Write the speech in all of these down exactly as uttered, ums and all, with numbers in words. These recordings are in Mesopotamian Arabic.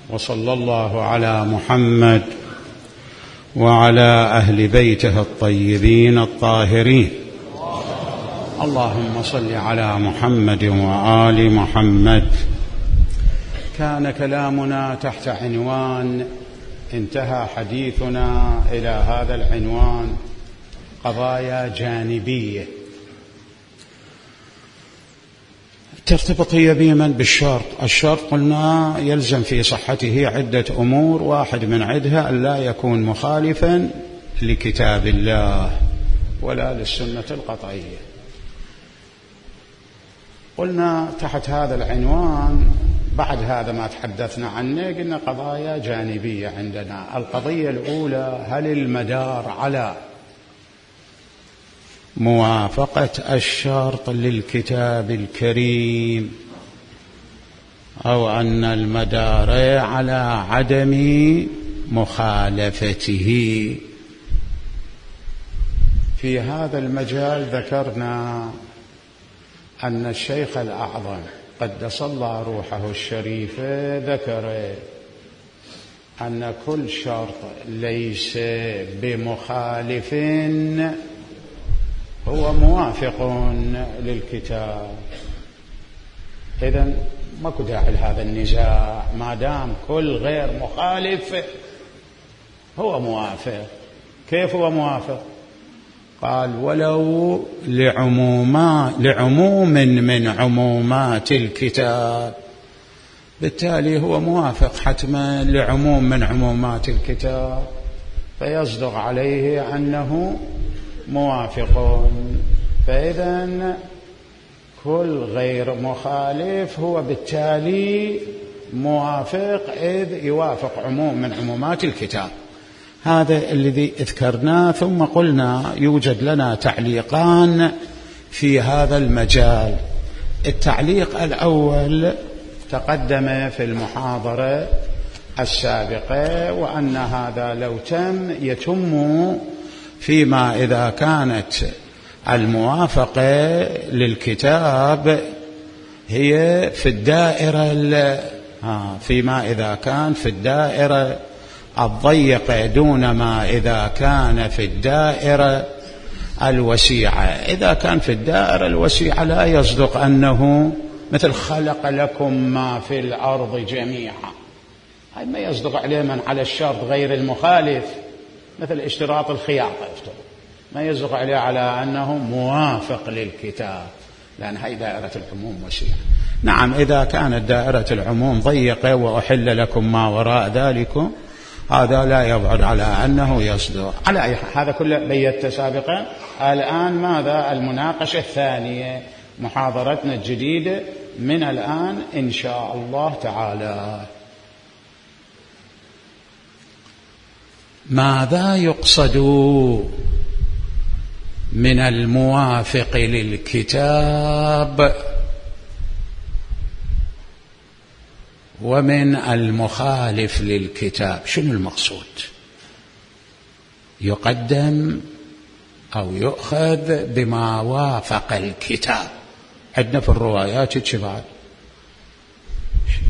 وصلى الله على محمد وعلى أهل بيته الطيبين الطاهرين. اللهم صل على محمد وآل محمد. كان كلامنا تحت عنوان، انتهى حديثنا إلى هذا العنوان: قضايا جانبية ترتبط هي بمن بالشرط. الشرط قلنا يلزم في صحته عدة أمور، واحد من عدها أن لا يكون مخالفا لكتاب الله ولا للسنة القطعية. قلنا تحت هذا العنوان بعد هذا ما تحدثنا عنه قلنا قضايا جانبية عندنا. القضية الأولى: هل المدار على موافقة الشرط للكتاب الكريم أو أن المدار على عدم مخالفته؟ في هذا المجال ذكرنا أن الشيخ الأعظم قدس الله روحه الشريفة ذكر أن كل شرط ليس بمخالف هو موافق للكتاب. إذن ماكو داعي لهذا النزاع، ما دام كل غير مخالف هو موافق. كيف هو موافق؟ قال: ولو لعموما لعموم من عمومات الكتاب. بالتالي هو موافق حتما لعموم من عمومات الكتاب، فيصدق عليه أنه موافق. فإذا كل غير مخالف هو بالتالي موافق، إذ يوافق عموم من عمومات الكتاب. هذا الذي ذكرناه. ثم قلنا يوجد لنا تعليقان في هذا المجال. التعليق الأول تقدم في المحاضرة السابقة، وأن هذا لو تم يتم فيما إذا كانت الموافقة للكتاب هي في الدائرة فيما إذا كان في الدائرة الضيقة دون ما إذا كان في الدائرة الوسيعة. إذا كان في الدائرة الوسيعة لا يصدق أنه مثل خلق لكم ما في الأرض جميعا، هاي ما يصدق عليه من على الشرط غير المخالف، مثل اشتراط الخياطة يفترض ما يصدق عليه على أنه موافق للكتاب، لأن هاي دائرة العموم وسيعة. نعم، إذا كانت دائرة العموم ضيقة وأحل لكم ما وراء ذلك، هذا لا يبعد على أنه يصدق. على أي حال هذا كله بيت سابقا. الآن ماذا؟ المناقشة الثانية، محاضرتنا الجديدة من الآن إن شاء الله تعالى. ماذا يقصد من الموافق للكتاب ومن المخالف للكتاب؟ شنو المقصود؟ يقدم أو يؤخذ بما وافق الكتاب. عندنا في الروايات الشباب.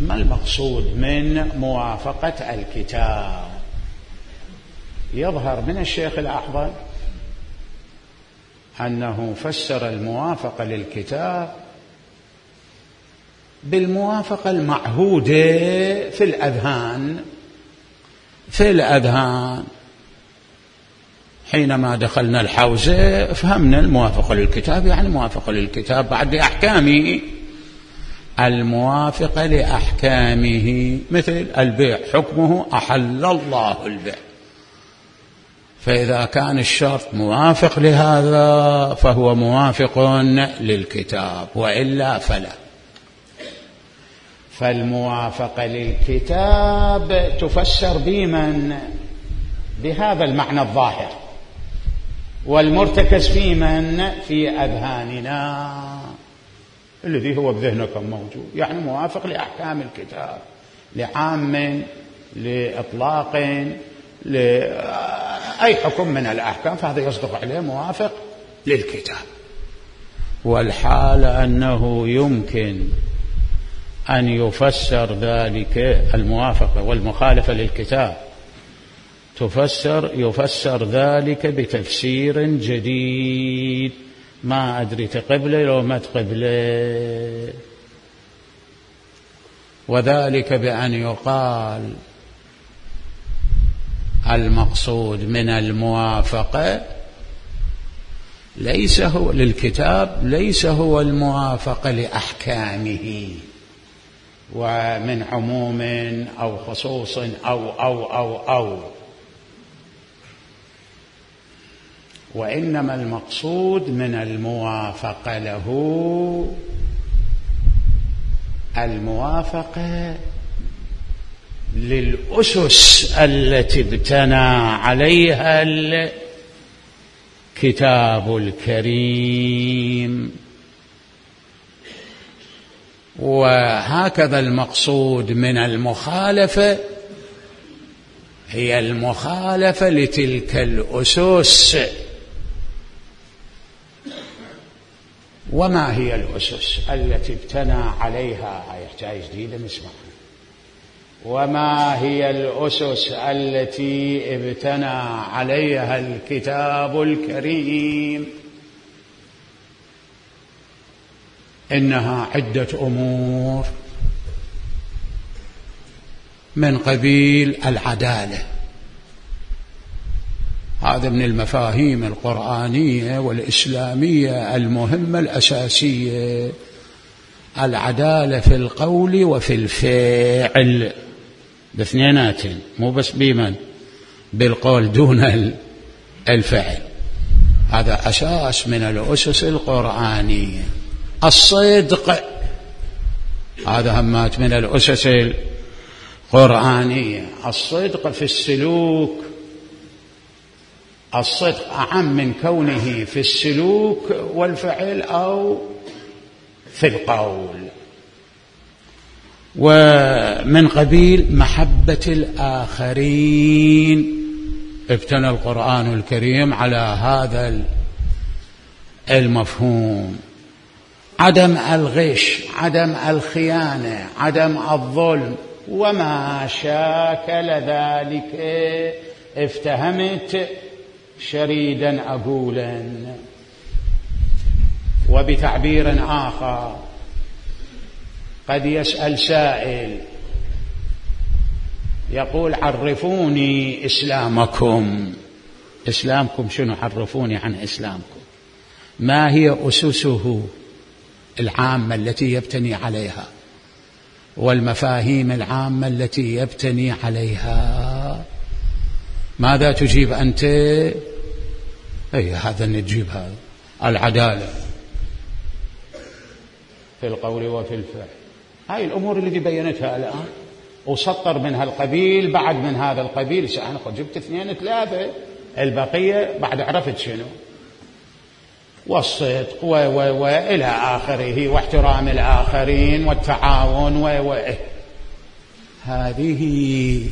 ما المقصود من موافقة الكتاب؟ يظهر من الشيخ الأعظم أنه فسر الموافقة للكتاب بالموافقة المعهودة في الأذهان. في الأذهان حينما دخلنا الحوزة فهمنا الموافقة للكتاب يعني موافقة للكتاب بعد أحكامه، الموافقة لأحكامه، مثل البيع حكمه أحل الله البيع، فإذا كان الشرط موافق لهذا فهو موافق للكتاب، وإلا فلا. فالموافقة للكتاب تفسر بمن؟ بهذا المعنى الظاهر، والمرتكز في من؟ في أذهاننا الذي هو بذهنكم موجود، يعني موافق لأحكام الكتاب، لعام، لإطلاق، لأي حكم من الأحكام، فهذا يصدق عليه موافق للكتاب. والحال أنه يمكن أن يفسر ذلك الموافقة والمخالفة للكتاب تفسر يفسر ذلك بتفسير جديد، ما أدري تقبله لو ما تقبله، وذلك بأن يقال المقصود من الموافقة ليس هو للكتاب ليس هو الموافقة لأحكامه ومن عموم أو خصوص أو أو أو أو وإنما المقصود من الموافقة له الموافقة للأسس التي ابتنى عليها الكتاب الكريم. وهكذا المقصود من المخالفة هي المخالفة لتلك الأسس. وما هي الأسس التي ابتنى عليها؟ يحتاج جديدة نسمعها. وما هي الأسس التي ابتنى عليها الكتاب الكريم؟ إنها عدة أمور من قبيل العدالة، هذا من المفاهيم القرآنية والإسلامية المهمة الأساسية، العدالة في القول وفي الفعل باثنيناتين، مو بس بمن بالقول دون الفعل، هذا أساس من الأسس القرآنية. الصدق هذا همات من الأسس القرآنية، الصدق في السلوك، الصدق أعم من كونه في السلوك والفعل أو في القول. ومن قبيل محبة الآخرين ابتنى القرآن الكريم على هذا المفهوم، عدم الغش، عدم الخيانة، عدم الظلم وما شاكل ذلك. افتهمت شريدا أقولا. وبتعبير آخر قد يسأل سائل يقول عرفوني إسلامكم، إسلامكم شنو؟ عرفوني عن إسلامكم، ما هي أسسه العامة التي يبتني عليها والمفاهيم العامة التي يبتني عليها؟ ماذا تجيب أنت؟ أي هذا نجيب هذا، العدالة في القول وفي الفعل. هاي الأمور اللي بينتها الآن وسطر منها القبيل بعد من هذا القبيل، أنا جبت اثنين ثلاثة، البقية بعد عرفت شنو، والصدق و و وإلى آخره، واحترام الآخرين والتعاون و و هذه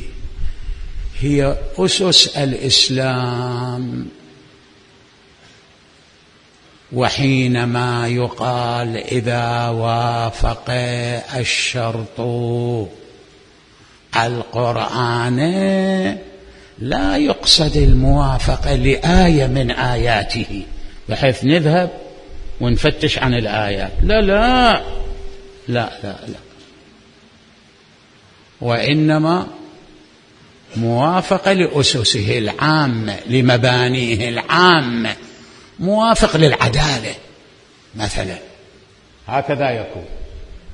هي أسس الإسلام. وحينما يقال إذا وافق الشرط القرآن لا يقصد الموافقة لآية من آياته بحيث نذهب ونفتش عن الآيات، لا لا لا لا لا، وإنما موافقة لأسسه العامة، لمبانيه العامة، موافق للعدالة مثلا، هكذا يكون.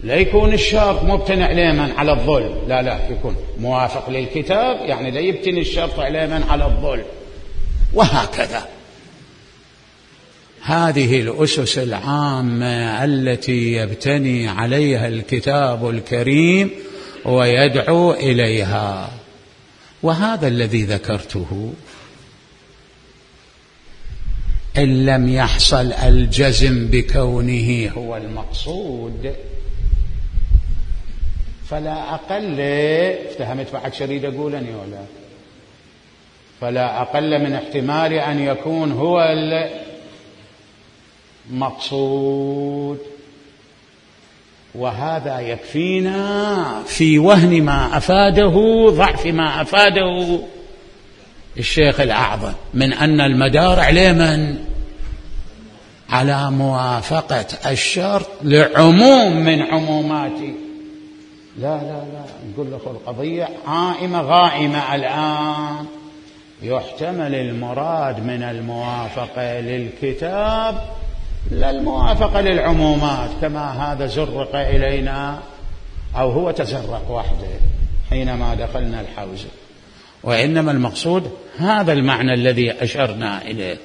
لا يكون الشرط مبتني عليما على الظلم، لا لا، يكون موافق للكتاب، يعني لا يبتني الشرط عليما على الظلم، وهكذا. هذه الأسس العامة التي يبتني عليها الكتاب الكريم ويدعو إليها، وهذا الذي ذكرته. إن لم يحصل الجزم بكونه هو المقصود فلا أقل، افتهمت بعد شريد أقولني ولا، فلا أقل من احتمال أن يكون هو المقصود. وهذا يكفينا في وهن ما أفاده، ضعف ما أفاده الشيخ الأعظم من أن المدار عليه من؟ على موافقة الشرط لعموم من عموماته. لا لا لا نقول له القضية عائمة غائمة الآن. يحتمل المراد من الموافقة للكتاب لا الموافقة للعمومات، كما هذا زرق إلينا أو هو تزرق وحده حينما دخلنا الحوزة، وإنما المقصود هذا المعنى الذي أشرنا إليه،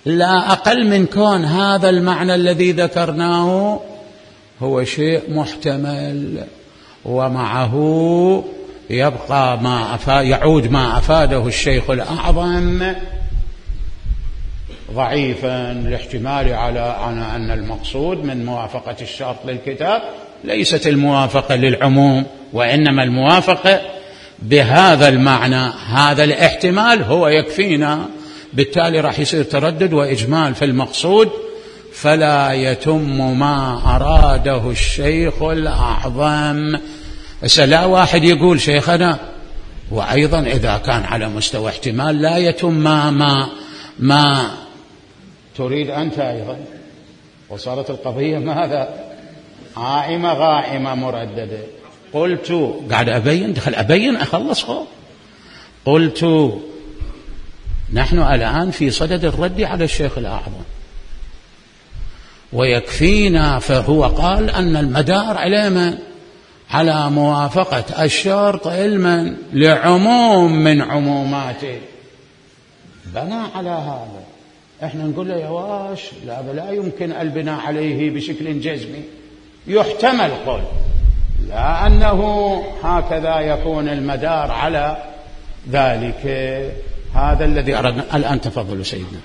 لا أقل من كون هذا المعنى الذي ذكرناه هو شيء محتمل، ومعه يبقى ما أفاد يعود ما أفاده الشيخ الأعظم ضعيفا لاحتمال على أن المقصود من موافقة الشرط للكتاب ليست الموافقة للعموم، وإنما الموافقة بهذا المعنى. هذا الاحتمال هو يكفينا، بالتالي راح يصير تردد وإجمال في المقصود، فلا يتم ما أراده الشيخ الأعظم. لا واحد يقول شيخنا وأيضا إذا كان على مستوى احتمال لا يتم ما, ما, ما تريد أنت أيضا، وصارت القضية ماذا؟ عائمة غائمة مرددة. قلت قاعد أبين دخل أبين أخلص خو. قلت نحن الآن في صدد الرد على الشيخ الأعظم، ويكفينا فهو قال أن المدار على من؟ على موافقة الشرط علما لعموم من عموماته، بنى على هذا. احنا نقول له يا واش لا لا يمكن البناء عليه بشكل جزمي، يحتمل قول لا أنه هكذا يكون المدار على ذلك. هذا الذي أردنا. الآن تفضلوا سيدنا.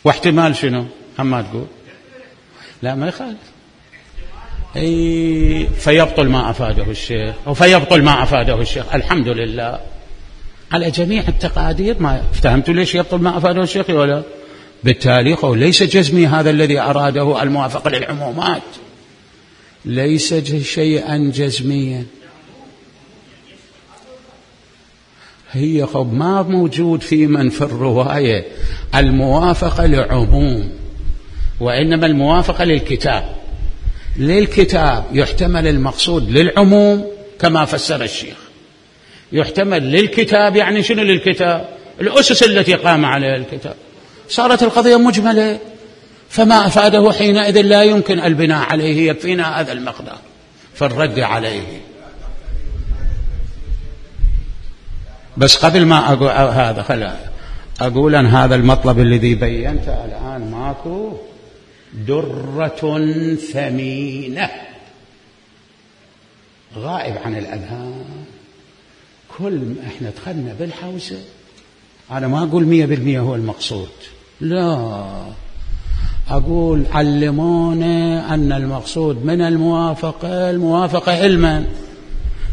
واحتمال شنو؟ أما تقول لا ما يخالف. أي فيبطل ما أفاده الشيخ أو فيبطل ما أفاده الشيخ. الحمد لله على جميع التقادير. ما فهمتوا ليش يبطل ما أفاده الشيخ ولا؟ بالتالي ليس جزمي هذا الذي أراده الموافقة للعمومات، ليس شيئا جزميا. هي خب ما موجود في من في الرواية الموافقة لعموم، وإنما الموافقة للكتاب. للكتاب يحتمل المقصود للعموم كما فسر الشيخ، يحتمل للكتاب يعني شنو للكتاب؟ الأسس التي قام عليها الكتاب. صارت القضية مجملة، فما أفاده حينئذ لا يمكن البناء عليه، يكفينا هذا المقدار في الرد عليه. بس قبل ما أقول هذا خلا أقول أن هذا المطلب الذي بينته الآن ماكو درة ثمينة غائب عن الأذهان. كل ما احنا دخلنا بالحوزة، أنا ما أقول مية بالمية هو المقصود، لا، أقول علمونا أن المقصود من الموافقة الموافقة علما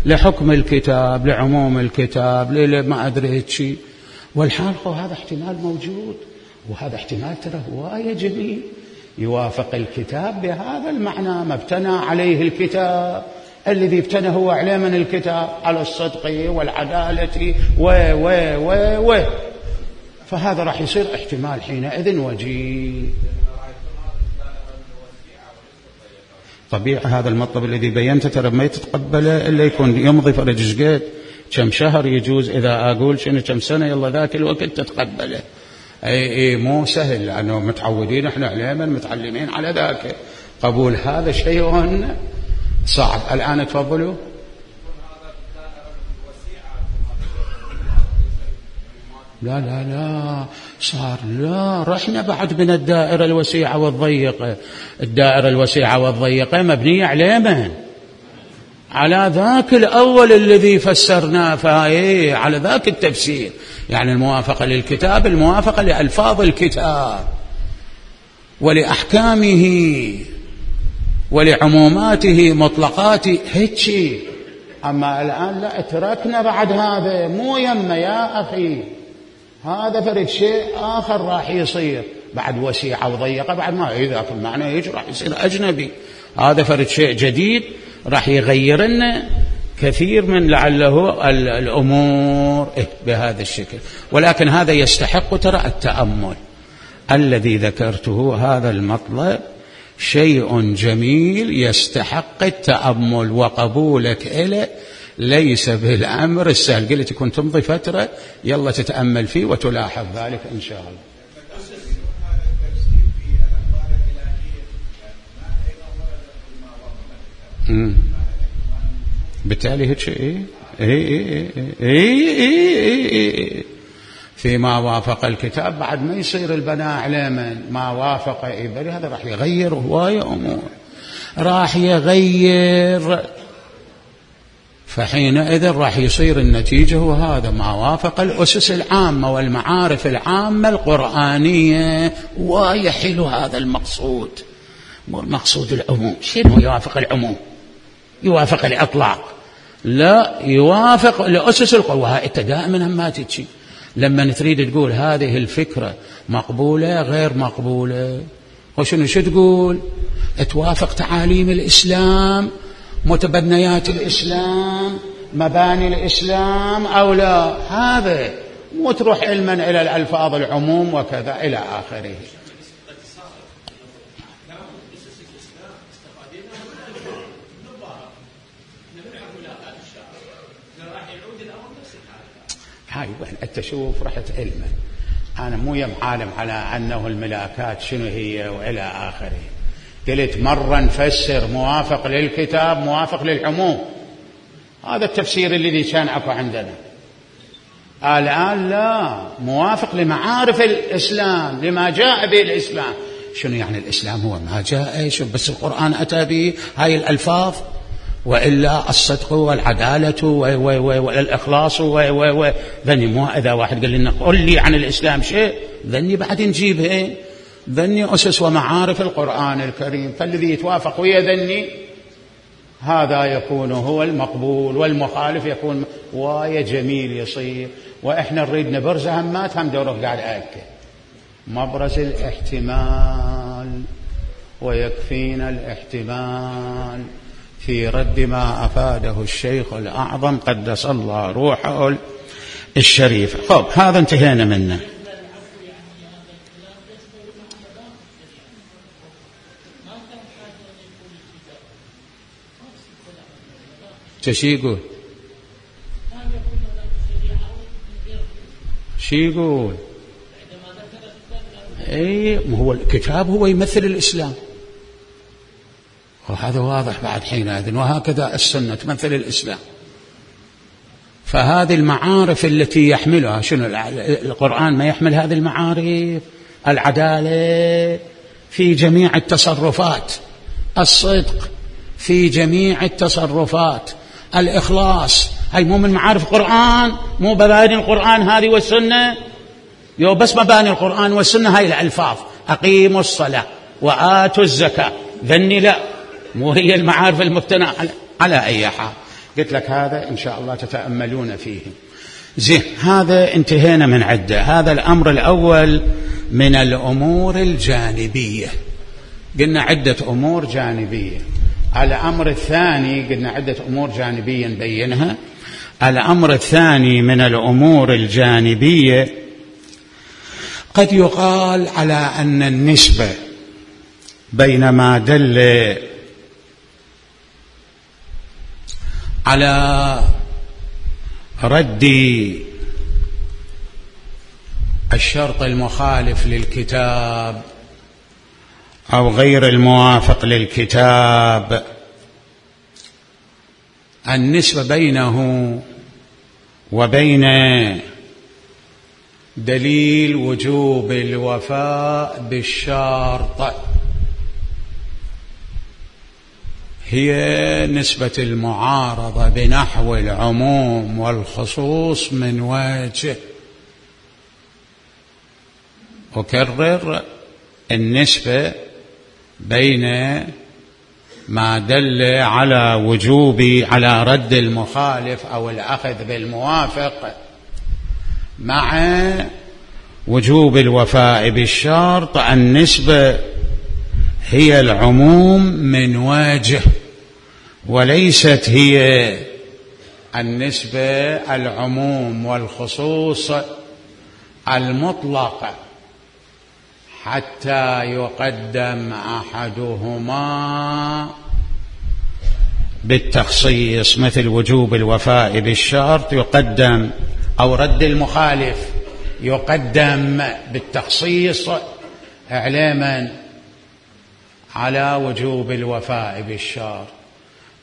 لحكم الكتاب، لعموم الكتاب، لما أدري شيء، والحال هذا احتمال موجود، وهذا احتمال ترى هواية جميل يوافق الكتاب بهذا المعنى، ما ابتنى عليه الكتاب، الذي ابتنى هو عليه من الكتاب على الصدق والعدالة و و و و فهذا راح يصير احتمال حينئذ وجيه. طبيعي هذا المطلب الذي بينته ترى ما يتقبله إلا يكون يمضي فرج شقيت كم شهر يجوز، إذا أقول شنو كم سنة يلا ذاك الوقت تتقبله. أي, أي مو سهل، لأنه متعودين إحنا علما متعلمين على ذاك. قبول هذا شيء صعب. الآن تفضلوا. لا لا لا صار لا رحنا بعد من الدائرة الوسيعة والضيقة. الدائرة الوسيعة والضيقة مبنية على من؟ على ذاك الأول الذي فسرناه، فايه على ذاك التفسير، يعني الموافقة للكتاب، الموافقة لألفاظ الكتاب ولأحكامه ولعموماته مطلقاته، هيك أما الآن لا، تركنا بعد هذا، مو يمه يا أخي، هذا فرد شيء آخر راح يصير بعد وسيعة وضيقة، بعد ما إذا كل معنى يجي راح يصير أجنبي، هذا فرد شيء جديد راح يغير لنا كثير من لعله الأمور بهذا الشكل. ولكن هذا يستحق ترى التأمل الذي ذكرته، هذا المطلب شيء جميل يستحق التأمل، وقبولك إله ليس بالأمر السهل. قلت كنت تمضي فترة يلا تتأمل فيه وتلاحظ ذلك إن شاء الله. امم بالتالي هيك شيء اي اي فيما وافق الكتاب بعد ما يصير البناء على من ما وافق إبري، هذا راح يغير هواية أمور، راح يغير، فحينئذ راح يصير النتيجة وهذا ما وافق الأسس العامة والمعارف العامة القرآنية. ويحل هذا المقصود، مقصود العموم. شنو يوافق العموم؟ يوافق الإطلاق؟ لا، يوافق الأسس القرآنية. أنت دائما ما تتشي لما تريد تقول هذه الفكرة مقبولة غير مقبولة، وشنو شو تقول؟ توافق تعاليم الإسلام، متبنيات الإسلام، مباني الإسلام أو لا؟ هذا مو تروح علما إلى الألفاظ العموم وكذا إلى آخره. هاي وين أنت شوف رحت علما، أنا مو يم عالم على أنه الملاكات شنو هي وإلى آخره. قلت مرة نفسر موافق للكتاب موافق للعموم، هذا التفسير الذي كان أكو عندنا. الآن لا، موافق لمعارف الإسلام، لما جاء به الإسلام. شنو يعني الإسلام هو ما جاء شوف بس القرآن أتى به هاي الألفاظ، وإلا الصدق والعدالة والإخلاص ذني. مو إذا واحد قال لنا قل لي عن الإسلام شيء ذني بعد نجيبه، ذني أسس ومعارف القرآن الكريم، فالذي يتوافق ويا ذني هذا يكون هو المقبول، والمخالف يكون وايا جميل يصير. وإحنا نريد نبرز همات هم دوره قاعد أكد مبرز الاحتمال، ويكفينا الاحتمال في رد ما أفاده الشيخ الأعظم قدس الله روحه الشريف. خب هذا انتهينا منه. شي يقول شي يقول اي هو الكتاب هو يمثل الإسلام، وهذا واضح بعد حينئذ. وهكذا السنة تمثل الإسلام. فهذه المعارف التي يحملها شنو القرآن؟ ما يحمل هذه المعارف، العدالة في جميع التصرفات، الصدق في جميع التصرفات، الإخلاص. هاي مو من معارف القرآن؟ مو مباني القرآن هذه والسنة؟ يو بس مباني القرآن والسنة هاي الألفاظ، أقيموا الصلاة وآتوا الزكاة، ذني لا، مو هي المعارف المبتنى على, على أي حال. قلت لك هذا إن شاء الله تتأملون فيه. زين، هذا انتهينا من عدة. هذا الأمر الأول من الأمور الجانبية، قلنا عدة أمور جانبية. الأمر الثاني قلنا عدة أمور جانبية نبينها. الأمر الثاني من الأمور الجانبية قد يقال على أن النسبة بين ما دل على رد الشرط المخالف للكتاب أو غير الموافق للكتاب، النسبة بينه وبين دليل وجوب الوفاء بالشرط هي نسبة المعارضة بنحو العموم والخصوص من وجه. أكرر، النسبة بين ما دل على وجوب على رد المخالف أو الأخذ بالموافق مع وجوب الوفاء بالشرط. النسبة هي العموم من وجه، وليست هي النسبة العموم والخصوص المطلق حتى يقدم أحدهما بالتخصيص، مثل وجوب الوفاء بالشرط يقدم، أو رد المخالف يقدم بالتخصيص إعلاما على وجوب الوفاء بالشرط،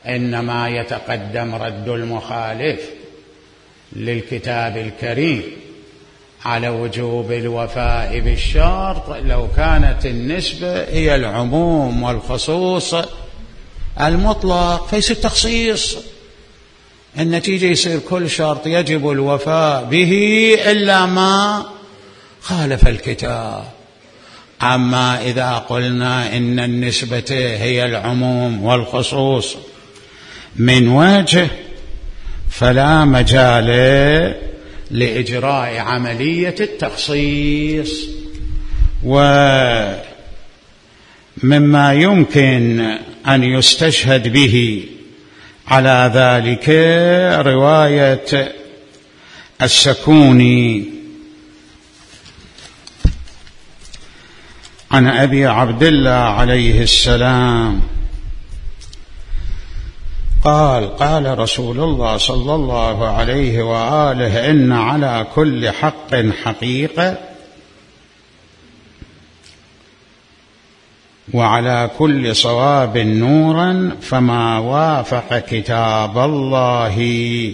إنما يتقدم رد المخالف للكتاب الكريم على وجوب الوفاء بالشرط لو كانت النسبة هي العموم والخصوص المطلق، فيصير تخصيص. النتيجة يصير كل شرط يجب الوفاء به إلا ما خالف الكتاب. أما إذا قلنا إن النسبة هي العموم والخصوص من وجه فلا مجال لإجراء عملية التخصيص. ومما يمكن أن يستشهد به على ذلك رواية السكوني عن أبي عبد الله عليه السلام قال: قال رسول الله صلى الله عليه وآله: إن على كل حق حقيقة، وعلى كل صواب نورا، فما وافق كتاب الله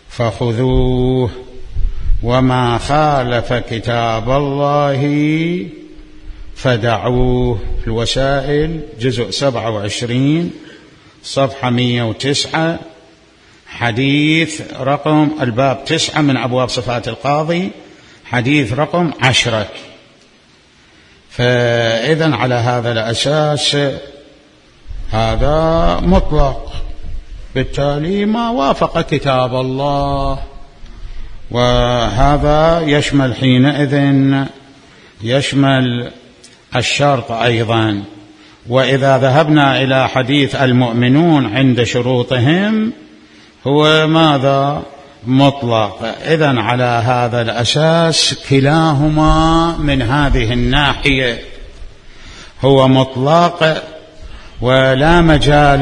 فخذوه، وما خالف كتاب الله فدعوه. الوسائل جزء سبعة وعشرين صفحة مئة وتسعة، حديث رقم الباب تسعة من أبواب صفات القاضي، حديث رقم عشرة. فإذن على هذا الأساس هذا مطلق، بالتالي ما وافق كتاب الله، وهذا يشمل حينئذ يشمل الشرط أيضا. وإذا ذهبنا إلى حديث المؤمنون عند شروطهم هو ماذا؟ مطلق. إذن على هذا الأساس كلاهما من هذه الناحية هو مطلق، ولا مجال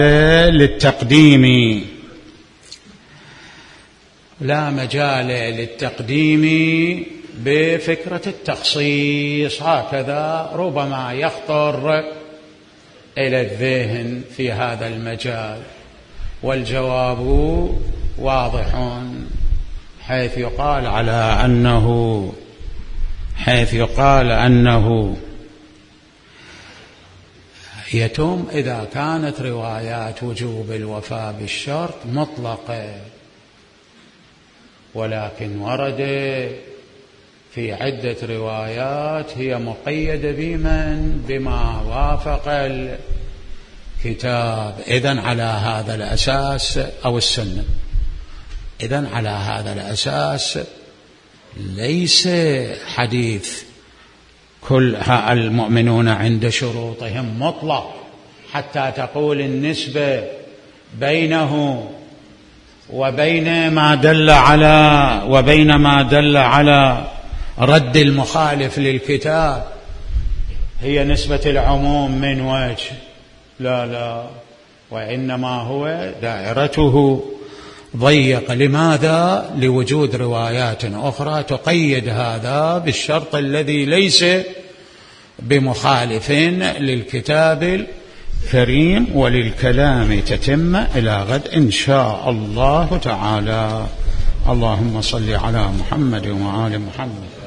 للتقديم لا مجال للتقديم بفكرة التخصيص. هكذا ربما يخطر إلى الذهن في هذا المجال، والجواب واضح، حيث يقال على أنه حيث يقال أنه يتم إذا كانت روايات وجوب الوفاء بالشرط مطلقة، ولكن ورد في عدة روايات هي مقيدة بمن؟ بما وافق الكتاب. إذن على هذا الأساس أو السنة، إذن على هذا الأساس ليس حديث كل المؤمنون عند شروطهم مطلق حتى تقول النسبة بينه وبين ما دل على وبين ما دل على رد المخالف للكتاب هي نسبة العموم من وجه. لا لا، وإنما هو دائرته ضيق. لماذا؟ لوجود روايات أخرى تقيد هذا بالشرط الذي ليس بمخالف للكتاب الكريم. وللكلام تتم إلى غد إن شاء الله تعالى. اللهم صل على محمد وآل محمد.